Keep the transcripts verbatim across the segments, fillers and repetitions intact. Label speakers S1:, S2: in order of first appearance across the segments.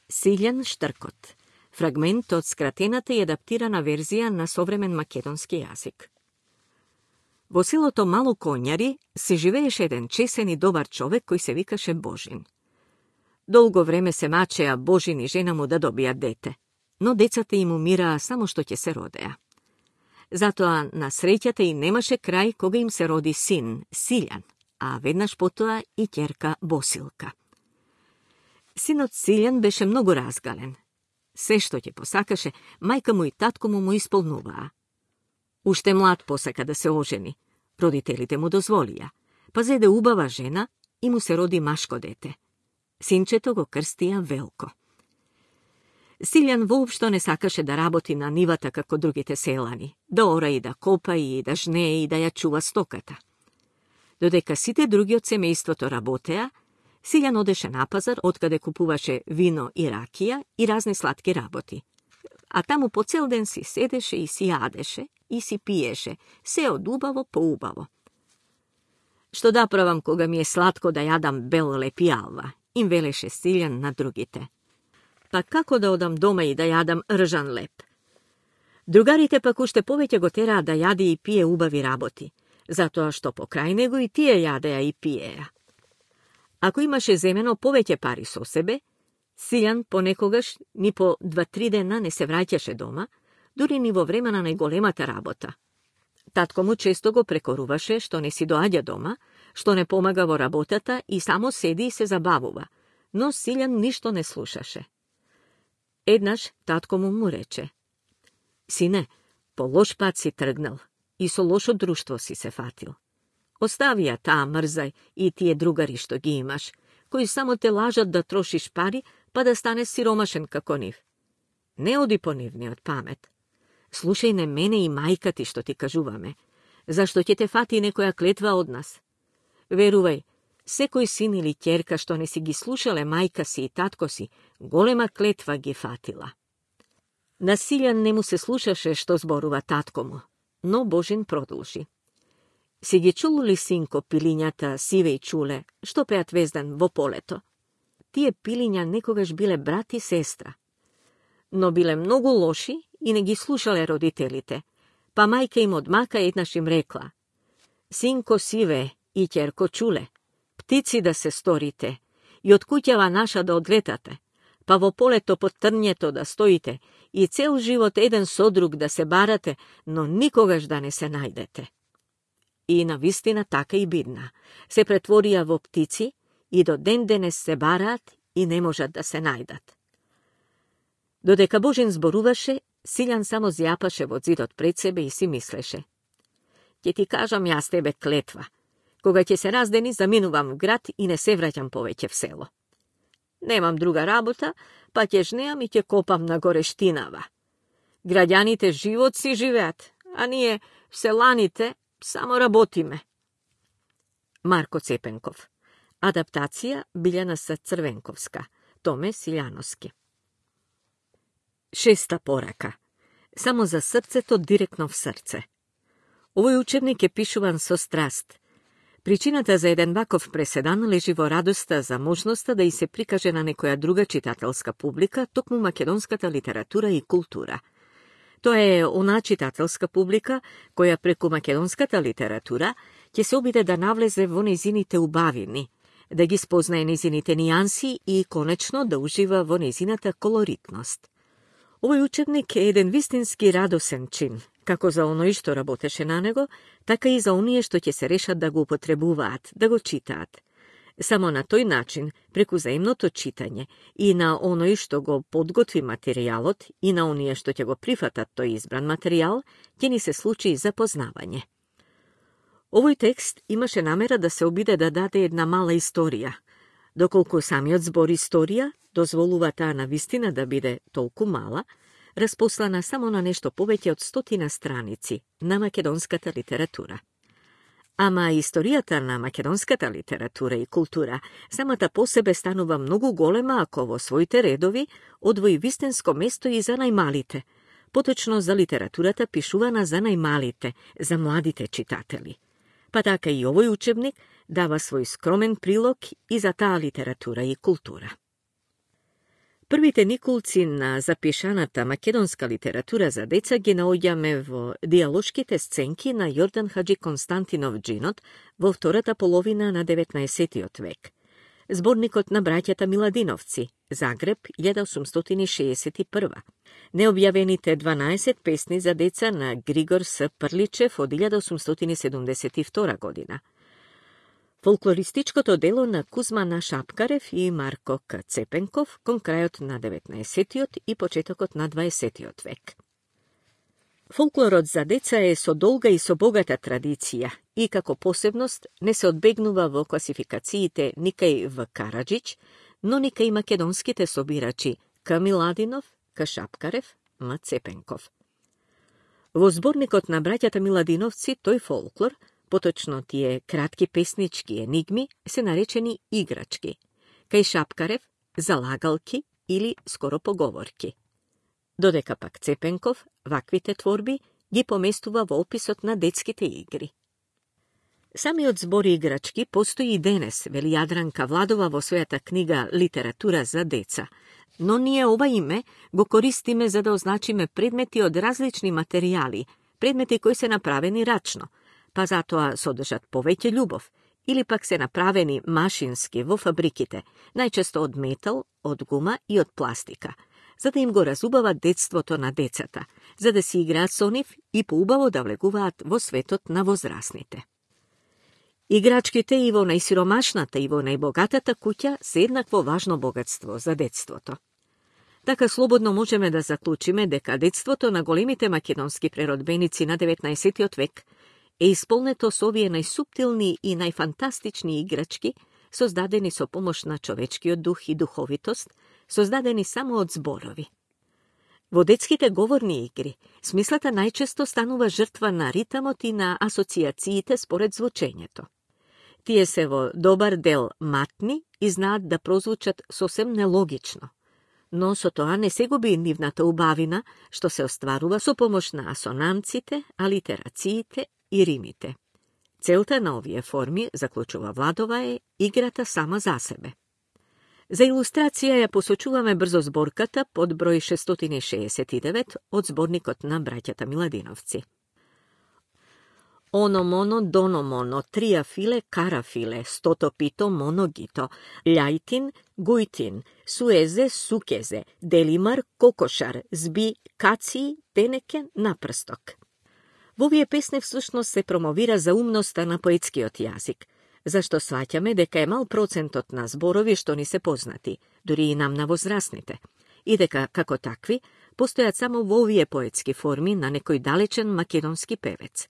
S1: Силјан Штркот. Фрагмент од скратената и адаптирана верзија на современ македонски јазик. Во селото Мало Конјари се живееше еден чесен и добар човек кој се викаше Божин. Долго време се мачеа Божин и жена му да добијат дете, но децата им умираа само што ќе се родеа. Затоа на среќата и немаше крај кога им се роди син, Силјан, а веднаш потоа и ќерка Босилка. Синот Силјан беше многу разгален. Се што ќе посакаше, мајка му и татко му му исполнуваа. Уште млад посака да се ожени. Родителите му дозволија, па зеде убава жена и му се роди машко дете. Синчето го крстија Велко. Силјан воопшто не сакаше да работи на нивата како другите селани, да ора и да копа и да жнее и да ја чува стоката. Додека сите други од семејството работеа, Силјан одеше на пазар, откаде купуваше вино и ракија и разни сладки работи. А таму по цел ден си седеше и си јадеше и си пиеше, се од убаво по убаво. Што да правам кога ми е сладко да јадам бел леп и алва, им велеше Силјан на другите. Па како да одам дома и да јадам ржан леп? Другарите пак уште повеќе го тераа да јаде и пие убави работи, затоа што покрај него и тие јадеа и пиеа. Ако имаше земено повеќе пари со себе, Силјан понекогаш ни по два-три дена не се враќаше дома, дури ни во време на најголемата работа. Татко му често го прекоруваше што не си доаѓа дома, што не помага во работата и само седи и се забавува, но Силјан ништо не слушаше. Еднаш татко му му рече: Сине, по лош пат си тргнал и со лошо друштво си се фатил. Остави ја таа мрзај и тие другари што ги имаш, кои само те лажат да трошиш пари, па да станеш сиромашен како нив. Не оди по нивниот памет. Слушај не мене и мајка ти што ти кажуваме, зашто ќе те фати некоја клетва од нас. Верувај, секој син или ќерка што не си ги слушале мајка си и татко си, голема клетва ги фатила. На Силјан не му се слушаше што зборува татко му, но Божин продолжи. Си ги чул ли, синко, пилињата Сиве и Чуле, што пеат везден во полето? Тие пилиња некогаш биле брат и сестра, но биле многу лоши и не ги слушале родителите, па мајка им одмака еднаш им рекла: Синко Сиве и ќерко Чуле, птици да се сторите и од куќава наша да одлетате, па во полето под трњето да стоите и цел живот еден со друг да се барате, но никогаш да не се најдете. И навистина така и бидна. Се претворија во птици и до ден денес се бараат и не можат да се најдат. Додека Божин зборуваше, Силјан само зјапаше во зидот пред себе и си мислеше: Ќе ти кажам јас тебе клетва. Кога ќе се раздени, заминувам в град и не се враќам повеќе в село. Немам друга работа, па ќе жнеам и ќе копам на горештинава. Граѓаните живот си живеат, а ние, селаните, само работиме. Марко Цепенков. Адаптација Билјана Црвенковска. Томе Силјановски. Шеста порака. Само за срцето директно в срце. Овој учебник е пишуван со страст. Причината за еден ваков преседан лежи во радоста за можноста да и се прикаже на некоја друга читателска публика токму македонската литература и култура. Тоа е она читателска публика која преку македонската литература ќе се обиде да навлезе во незините убавини, да ги спознае незините нијанси и, конечно, да ужива во незината колоритност. Овој учебник е еден вистински радосен чин, како за оној што работеше на него, така и за оние што ќе се решат да го употребуваат, да го читаат. Само на тој начин, преку заемното читање и на оној што го подготви материјалот и на оние што ќе го прифатат тој избран материјал, ќе ни се случи запознавање. Овој текст имаше намера да се обиде да даде една мала историја, доколку самиот збор историја дозволува таа навистина да биде толку мала, распослана само на нешто повеќе од стотина страници на македонската литература. Ама историјата на македонската литература и култура самата по себе станува многу голема ако во своите редови одвои вистинско место и за најмалите, поточно за литературата пишувана за најмалите, за младите читатели. Па така и овој учебник дава свој скромен прилог и за таа литература и култура. Првите никулци на запишаната македонска литература за деца ги наоѓаме во диалошките сценки на Јордан Хаджи Константинов Джинот во втората половина на деветнаесеттиот век. Зборникот на браќата Миладиновци, Загреб, илјада осумстотини шеесет и прва. Необјавените дванаесет песни за деца на Григор С. Прличев од илјада осумстотини седумдесет и втора година. Фолклористичкото дело на Кузмана Шапкарев и Марко К. Цепенков кон крајот на деветнаесеттиот и почетокот на дваесеттиот век. Фолклорот за деца е со долга и со богата традиција и како посебност не се одбегнува во класификациите никај В. Караджич, но никај македонските собирачи К. Миладинов, К. Шапкарев, М. Цепенков. Во зборникот на браќата Миладиновци тој фолклор, поточно тие кратки песнички енигми, се наречени играчки, кај Шапкарев залагалки или скоро поговорки. Додека пак Цепенков ваквите творби ги поместува во описот на детските игри. Самиот збор играчки постои и денес, вели Јадранка Владова во својата книга Литература за деца, но ние ова име го користиме за да означиме предмети од различни материјали, предмети кои се направени рачно, па затоа содржат повеќе љубов, или пак се направени машински во фабриките, најчесто од метал, од гума и од пластика, за да им го разубава детството на децата, за да си играат со нив и поубаво да влегуваат во светот на возрасните. Играчките и во најсиромашната и во најбогатата куќа се еднакво важно богатство за детството. Така слободно можеме да заклучиме дека детството на големите македонски преродбеници на деветнаесеттиот век е исполнето со овие најсуптилни и најфантастични играчки, создадени со помош на човечкиот дух и духовитост, создадени само од зборови. Во детските говорни игри, смислата најчесто станува жртва на ритамот и на асоциациите според звучењето. Тие се во добар дел матни и знаат да прозвучат сосем нелогично, но со тоа не се губи нивната убавина, што се остварува со помош на асонанците, алитерациите и римите. Целта на овие форми, заклучува Владова, е играта сама за себе. За илустрација ја посочуваме брзо зборката под број шестстотини шеесет и девет од зборникот на браќата Миладиновци. Оно моно, доно моно, трија филе, кара филе, стото пито, моногито, љајтин, гујтин, суезе, сукезе, делимар, кокошар, зби, каци, тенеке, напрсток. Во овие песни всушност се промовира заумноста на поетскиот јазик, зашто сваќаме дека е мал процентот на зборови што ни се познати, дури и нам на возрастните, и дека, како такви, постојат само во овие поетски форми на некој далечен македонски певец.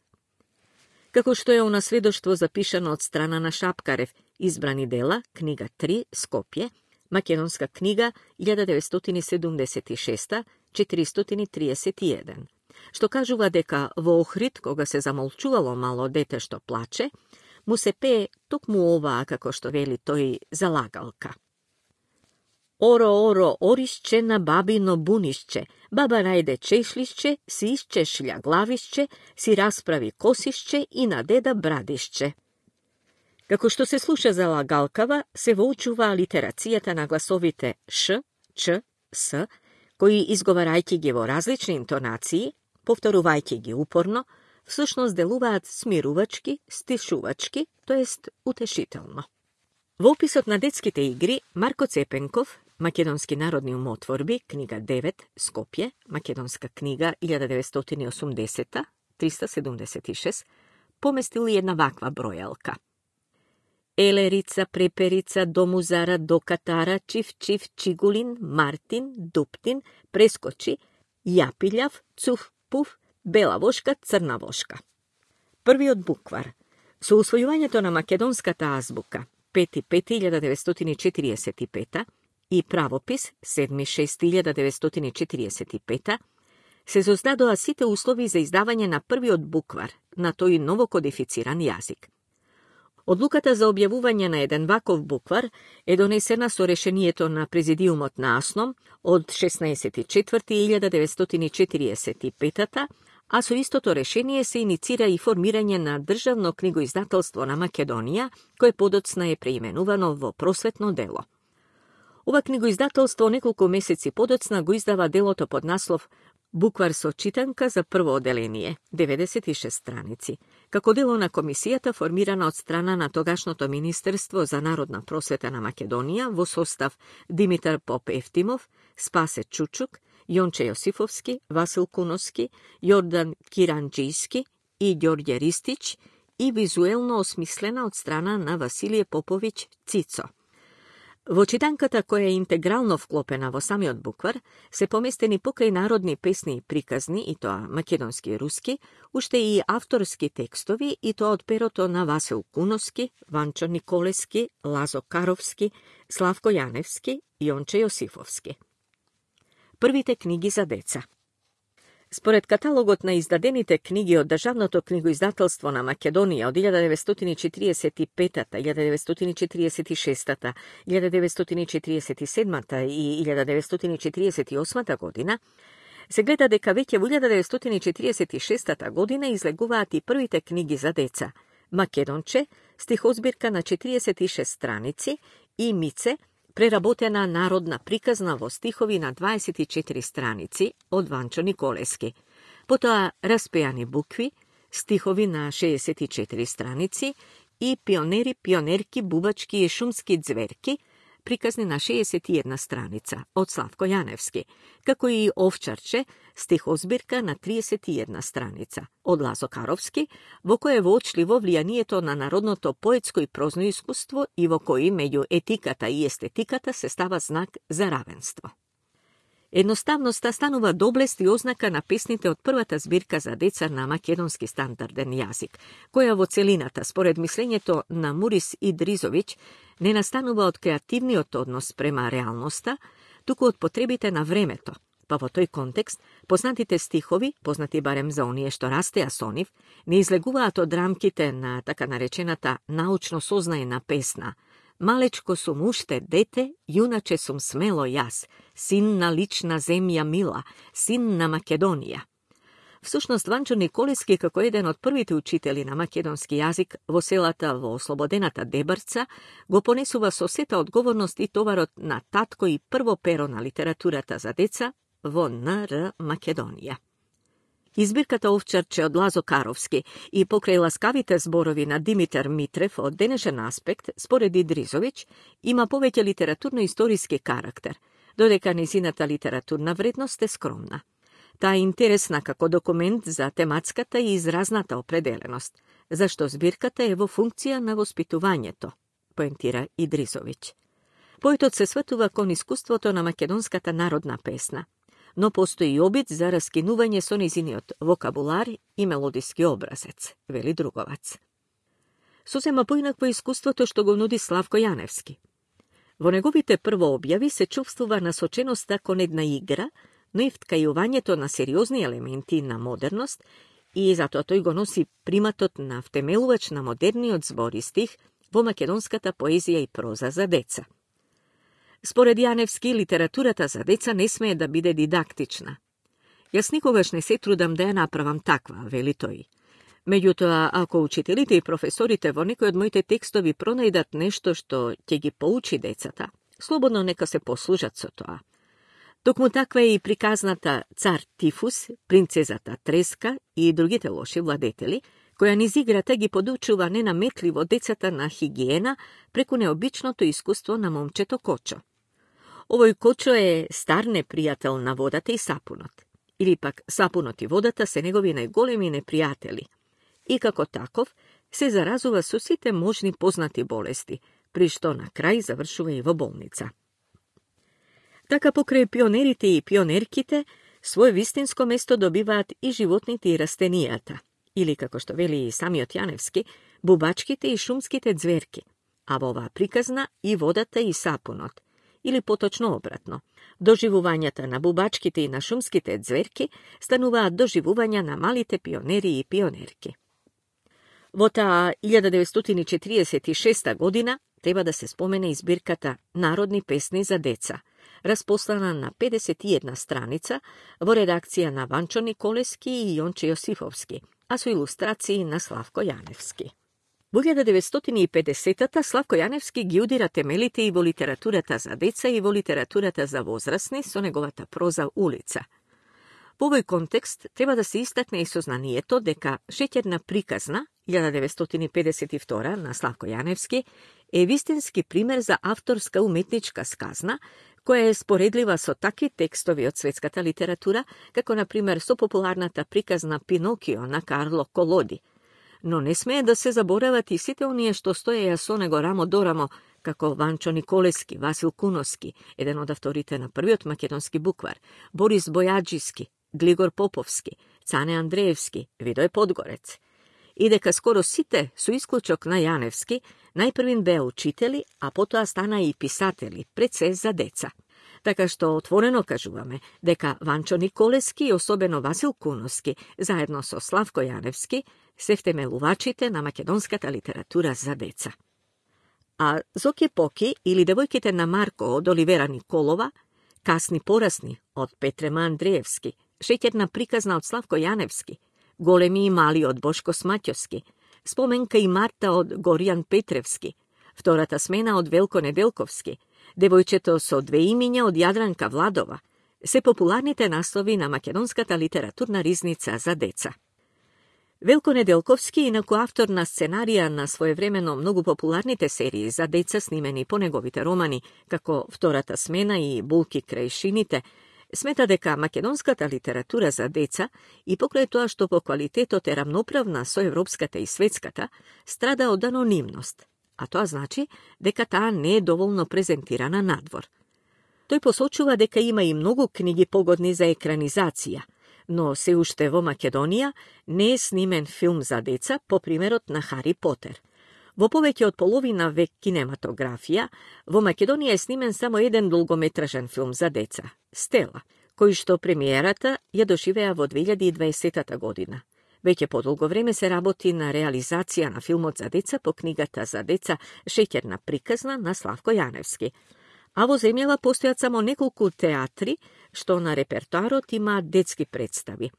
S1: Како што е онасведоштво запишано од страна на Шапкарев, избрани дела, книга три, Скопје, македонска книга илјада деветстотини седумдесет и шеста четиристотини триесет и еден, што кажува дека во Охрид, кога се замолчувало мало дете што плаче, му се пее токму оваа, како што вели тој, залагалка. Оро, оро, оришче на бабино бунишче, баба најде чешлишче, си исчешља главишче, си расправи косишче и на деда брадишче. Како што се слуша залагалкава, се воучува алитерацијата на гласовите ш, ч, с, кои изговарајќи ги во различни интонации, повторувајќи ги упорно, всушност делуваат смирувачки, стишувачки, тоест утешително. Во описот на детските игри, Марко Цепенков, Македонски народни умотворби, книга девет, Скопје, македонска книга илјада деветстотини и осумдесета триста седумдесет и шест, поместил една ваква бројалка. Елерица, преперица, домузара, докатара, чиф, чиф, чигулин, мартин, дуптин, прескочи, јапилјав, цуф, пуф, бела вошка, црна вошка. Првиот буквар. Со усвојувањето на македонската азбука пети пети илјада деветстотини четириесет и пета и правопис седми шести илјада деветстотини четириесет и пета се создадоа сите услови за издавање на првиот буквар на тој новокодифициран јазик. Одлуката за објавување на еден ваков буквар е донесена со решението на Президиумот на АСНОМ од шеснаесети четврти илјада деветстотини четириесет и пета, а со истото решение се иницира и формирање на Државно книгоиздателство на Македонија, кое подоцна е преименувано во Просветно дело. Ова книгоиздателство неколку месеци подоцна го издава делото под наслов Буквар со читанка за прво оделение, деветдесет и шест страници, како дело на комисијата формирана од страна на тогашното Министерство за народна просвета на Македонија во состав Димитар Поп Ефтимов, Спасе Чучук, Јонче Јосифовски, Васил Куновски, Јордан Киранџијски и Ѓорѓе Ристич и визуелно осмислена од страна на Василије Поповиќ Цицо. Во читанката, која е интегрално вклопена во самиот буквар, се поместени покрај народни песни и приказни, и тоа македонски и руски, уште и авторски текстови, и тоа од перото на Васил Куновски, Ванчо Николески, Лазо Каровски, Славко Јаневски и Јонче Јосифовски. Првите книги за деца. Според каталогот на издадените книги од Државното книгоиздателство на Македонија од илјада деветстотини четиридесет и петата, илјада деветстотини четиридесет и шестата, илјада деветстотини четиридесет и седмата и илјада деветстотини четиридесет и осмата година, се гледа дека веќе во илјада деветстотини четиридесет и шестата година излегуваат и првите книги за деца Македонче, стихозбирка на четиридесет и шест страници, и Мице, преработена народна приказна во стихови на дваесет и четири страници од Ванчо Николески. Потоа Распејани букви, стихови на шеесет и четири страници и Пионери, пионерки, бубачки и шумски ѕверки, приказни на шеесет и една страница од Славко Јаневски, како и Овчарче, стихозбирка на триесет и една страница од Лазо Каровски, во кој е воочливо влијанието на народното поетско и прозно искуство и во кој меѓу етиката и естетиката се става знак за равенство. Едноставноста станува доблест и ознака на песните од првата збирка за деца на македонски стандарден јазик, која во целината, според мислењето на Мурис Идризовиќ, не настанува од креативниот однос према реалноста, туку од потребите на времето, па во тој контекст познатите стихови, познати барем за оние што растеа со нив, не излегуваат од рамките на така наречената научно сознаена песна Малечко сум уште дете, јуначе сум смело јас, син на лична земја мила, син на Македонија. Всушност, Ванчо Николески, како еден од првите учители на македонски јазик во селата во ослободената Дебарца, го понесува со сета одговорност и товарот на татко и прво перо на литературата за деца во Н Р Македонија. Избирката Овчарче од Лазо Каровски и покрај ласкавите зборови на Димитар Митрев од денешен аспект, според Идризовиќ, има повеќе литературно-историски карактер, додека низината литературна вредност е скромна. Таа е интересна како документ за тематската и изразната определеност, зашто збирката е во функција на воспитувањето, поентира Идризовиќ. Поетот се сватува кон искуството на македонската народна песна, но постои обид за раскинување со низиниот вокабулар и мелодиски образец, вели Друговац. Сосема поинакво искуството што го нуди Славко Јаневски. Во неговите прво објави се чувствува насоченоста кон една игра, но и вткајувањето на сериозни елементи на модерност и затоа тој го носи приматот на втемелувач на модерниот збор и стих во македонската поезија и проза за деца. Според Јаневски, литературата за деца не смее да биде дидактична. Јас никогаш не се трудам да ја направам таква, вели тој. Меѓутоа, ако учителите и професорите во некој од моите текстови пронајдат нешто што ќе ги поучи децата, слободно нека се послужат со тоа. Токму таква е и приказната Цар Тифус, Принцезата Треска и другите лоши владетели, која низ играта ги подучува ненаметливо децата на хигиена преку необичното искуство на момчето Кочо. Овој Кочо е стар непријател на водата и сапунот, или пак сапунот и водата се негови најголеми непријатели, и како таков се заразува со сите можни познати болести, при што на крај завршува и во болница. Така покрај пионерите и пионерките, своје вистинско место добиваат и животните и растенијата, или, како што вели и самиот Јаневски, бубачките и шумските ѕверки, а во оваа приказна и водата и сапунот, или поточно обратно. Доживувањата на бубачките и на шумските ձверки стануваат доживувања на малите пионери и пионерки. Во таа илјада деветстотини четиридесет и шеста година треба да се спомене избирката Народни песни за деца, распослана на педесет и една страница во редакција на Ванчо Николески и Јонче Јосифовски, а со илустрации на Славко Јаневски. Во илјада деветстотини и педесетата Славко Јаневски ги удира темелите и во литературата за деца и во литературата за возрастни со неговата проза Улица. Во овој контекст треба да се истакне и сознанието дека Шеќерна приказна, илјада деветстотини педесет и втора, на Славко Јаневски, е вистински пример за авторска уметничка сказна, која е споредлива со такви текстови од светската литература, како на пример со популарната приказна Пинокио на Карло Колоди. Но не смее да се заборават и сите оние што стоеја со него рамо до рамо, како Ванчо Николески, Васил Куновски, еден од авторите на првиот македонски буквар, Борис Бојаджиски, Глигор Поповски, Цане Андреевски, Видој Подгорец. И дека скоро сите, со исклучок на Јаневски, најпрвин беа учители, а потоа стана и писатели, пред се за деца. Така што отворено кажуваме дека Ванчо Николески и особено Васил Куновски, заедно со Славко Јаневски, се втемелувачите на македонската литература за деца. А Зоки Поки или Девојките на Марко од Оливера Николова, Касни порасни од Петрема Андреевски, Шеќерна приказна од Славко Јаневски, Големи и мали од Бошко Смаќовски, Споменка и Марта од Горијан Петревски, Втората смена од Велко Неделковски, Девојчето со две имиња од Јадранка Владова, се популарните наслови на македонската литературна ризница за деца. Велко Неделковски, инаку автор на сценарија на своевремено многу популарните серии за деца снимени по неговите романи, како Втората смена и Булки крај шините, смета дека македонската литература за деца, и покрај тоа што по квалитетот е рамноправна со европската и светската, страда од анонимност, а тоа значи дека таа не е доволно презентирана надвор. Тој посочува дека има и многу книги погодни за екранизација, но се уште во Македонија не е снимен филм за деца по примерот на Хари Потер. Во повеќе од половина век кинематографија, во Македонија е снимен само еден долгометражен филм за деца, Стела, кој што премиерата ја доживеа во две илјади и дваесетта година. Веќе подолго време се работи на реализација на филмот за деца по книгата за деца Шеќерна приказна на Славко Јаневски. А во земјава постојат само неколку театри, што на репертоарот имаат детски представи.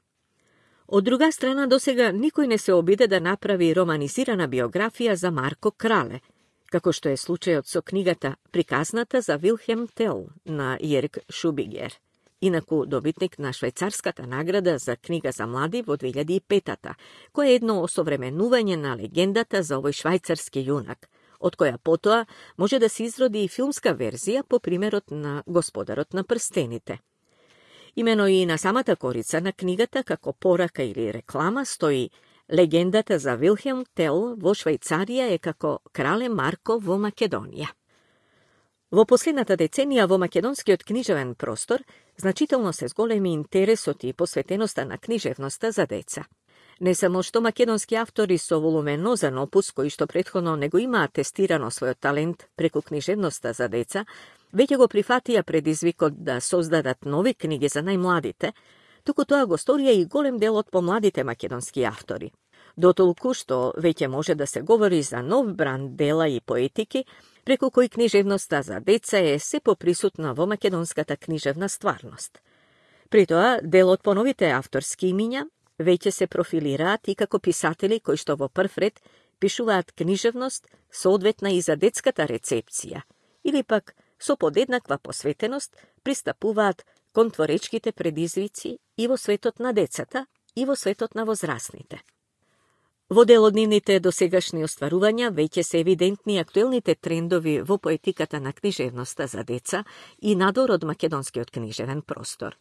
S1: Од друга страна, досега никој не се обиде да направи романизирана биографија за Марко Крале, како што е случајот со книгата Приказната за Вилхем Тел на Јерг Шубигер, инаку добитник на швајцарската награда за книга за млади во две илјади и петта, која е едно осовременување на легендата за овој швајцарски јунак, од која потоа може да се изроди и филмска верзија по примерот на Господарот на прстените. Имено и на самата корица на книгата, како порака или реклама, стои легендата за Вилхем Тел во Швајцарија е како Крале Марко во Македонија. Во последната деценија во македонскиот книжевен простор значително се зголеми интересот и посветеноста на книжевноста за деца. Не само што македонски автори со волуменозен опус, кои што претходно не го имаат тестирано својот талент преку книжевноста за деца, веќе го прифатија предизвикот да создадат нови книги за најмладите, туку тоа го сторија и голем дел од помладите македонски автори. Дотолку што веќе може да се говори за нов бранд дела и поетики, преку кои книжевноста за деца е се поприсутна во македонската книжевна стварност. При тоа, дел од поновите авторски имиња веќе се профилираат и како писатели кои што во прв ред пишуваат книжевност соодветна и за детската рецепција, или пак со подеднаква посветеност пристапуваат кон творечките предизвици и во светот на децата, и во светот на возрастните. Во дел од нивните досегашни остварувања веќе се евидентни актуелните трендови во поетиката на книжевноста за деца и надвор од македонскиот книжевен простор.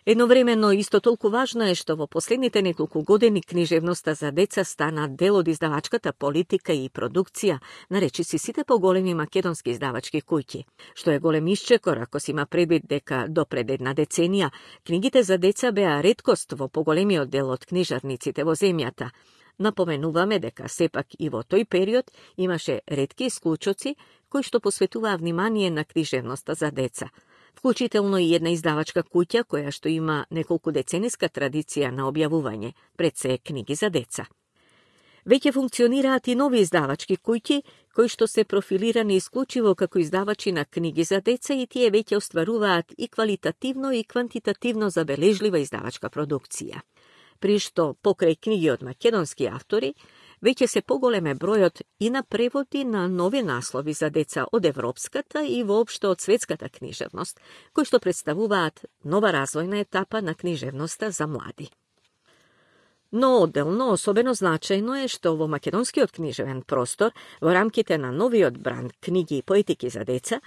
S1: Едновремено, исто толку важно е што во последните неколку години книжевноста за деца стана дел од издавачката политика и продукција на речиси сите поголеми македонски издавачки куќи, што е голем исчекор ако се има предвид дека до пред една деценија книгите за деца беа реткост во поголемиот дел од книжарниците во земјата. Напоменуваме дека сепак и во тој период имаше ретки исклучоци кои што посветуваа внимание на книжевноста за деца, вклучително и една издавачка куќа која што има неколку децениска традиција на објавување, пред се книги за деца. Веќе функционираат и нови издавачки куќи кои што се профилирани исклучиво како издавачи на книги за деца и тие веќе остваруваат и квалитативно и квантитативно забележлива издавачка продукција. При што, покрај книги од македонски автори, веќе се поголеме бројот и на преводи на нови наслови за деца од европската и воопшто од светската книжевност, кои што представуваат нова развојна етапа на книжевноста за млади. Но одделно особено значајно е што во македонскиот книжевен простор, во рамките на новиот бранд книги и поетики за деца,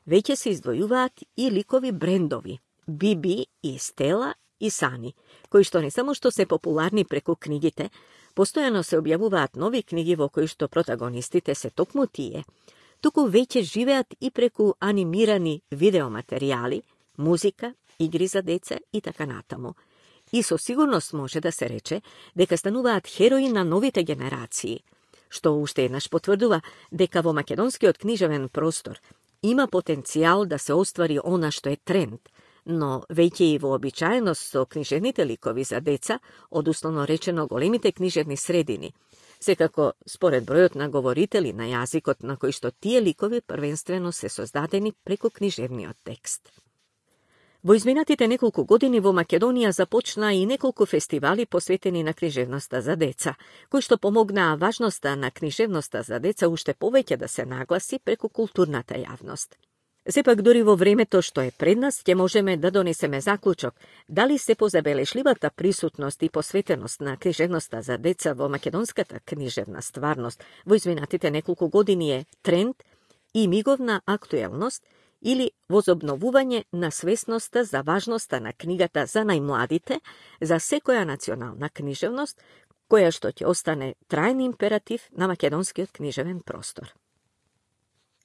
S1: веќе се издвојуваат и ликови брендови, Биби и Стела и Сани, кои што не само што се популарни преку книгите, постојано се објавуваат нови книги во кои што протагонистите се токму тие, туку веќе живеат и преку анимирани видеоматеријали, музика, игри за деца и така натаму. И со сигурност може да се рече дека стануваат херои на новите генерации, што уште еднаш потврдува дека во македонскиот книжевен простор има потенцијал да се оствари она што е тренд, но веќе и вообичаеност со книжевните ликови за деца, одусловно речено големите книжевни средини, секако според бројот на говорители на јазикот на кој што тие ликови првенствено се создадени преку книжевниот текст. Во изминатите неколку години во Македонија започна и неколку фестивали посветени на книжевноста за деца, кои што помогнаа важноста на книжевноста за деца уште повеќе да се нагласи преку културната јавност. Сепак, дури во времето што е пред нас, ќе можеме да донесеме заклучок дали се позабелешливата присутност и посветеност на книжевноста за деца во македонската книжевна стварност во изминатите неколку години е тренд и миговна актуелност или возобновување на свесноста за важноста на книгата за најмладите, за секоја национална книжевност, која што ќе остане трајен императив на македонскиот книжевен простор.